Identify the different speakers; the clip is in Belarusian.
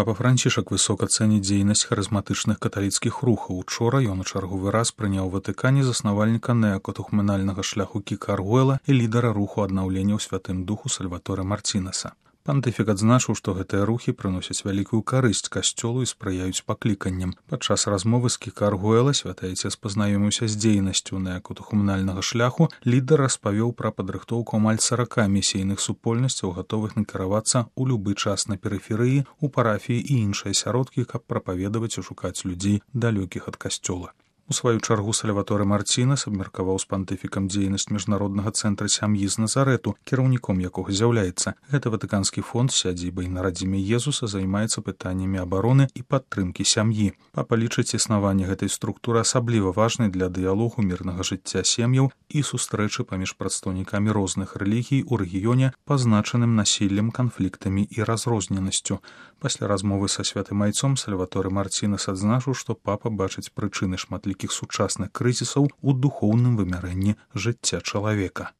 Speaker 1: Папа Францішак высока цэніць дзейнасць харызматычных каталіцкіх рухаў. Учора ён у чарговы раз прыняў у Ватыкане заснавальніка неакатухуманальнага шляху Кіка Аргуэла і лідара руху аднаўлення ў Святым Духу Сальваторе Марцінеса. Пантыфік адзначыў, што гэтыя рухі прыносяць вялікую карысць касцёлу і спрыяюць пакліканням. Падчас размовы з Кіка Аргуэла святы айцец пазнаёміўся з дзейнасцю неакатухуманальнага шляху. Лідар распавёў пра падрыхтоўку амаль 40 місійных супольнасцяў, гатовых накіравацца ў любы час на перыферыі, у парафіі і іншыя асяродкі, каб прапаведаваць і шукаць людзей, далёкіх ад касцёла. У сваю чаргу Сальваторе Марцінес абмеркаваў з пантыфікам дзейнасць міжнароднага цэнтра сям'і з Назарэту, кіраўніком якога з'яўляецца. Гэты ватыканскі фонд з сядзібай на радзіме Езуса займаецца пытаннямі абароны і падтрымкі сям'і. Папа лічыць існаванне гэтай структуры асабліва важнай для дыялогу мірнага жыцця сем'яў і сустрэчы паміж прадстаўнікамі розных рэлігій у рэгіёне, пазначаным насіллем, канфліктамі і разрозненасцю. Пасля размовы са святым айцом Сальваторе Марцінес адзначыў, што папа бачыць прычыны шматлікіх сучасных крызісаў у духоўным вымярэнні жыцця чалавека.